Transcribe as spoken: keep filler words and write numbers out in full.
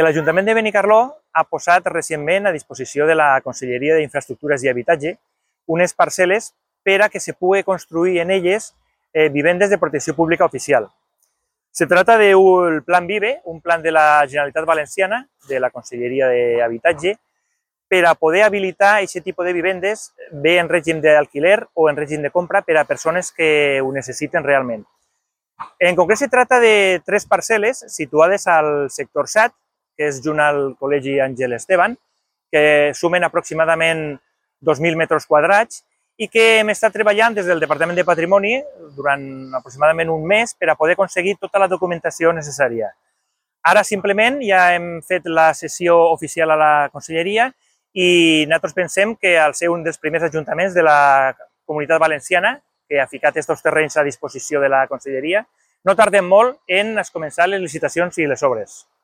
L'Ajuntament de Benicarló ha posat recentment a disposició de la Conselleria d'Infraestructures i Habitatge unes parcel·les per a que se pugui construir en elles eh, vivendes de protecció pública oficial. Se trata del Plan Vive, un plan de la Generalitat Valenciana, de la Conselleria d'Habitatge, per a poder habilitar aquest tipus de vivendes, bé en règim d'alquiler o en règim de compra, per a persones que ho necessiten realment. En concret, se trata de tres parcel·les situades al sector set, que és junt al Col·legi Àngel Esteban, que sumen aproximadament dos mil metres quadrats i que hem estat treballant des del Departament de Patrimoni durant aproximadament un mes per a poder aconseguir tota la documentació necessària. Ara simplement ja hem fet la sessió oficial a la Conselleria i nosaltres pensem que al ser un dels primers ajuntaments de la Comunitat Valenciana que ha ficat aquests terrenys a disposició de la Conselleria, no tardem molt en començar les licitacions i les obres.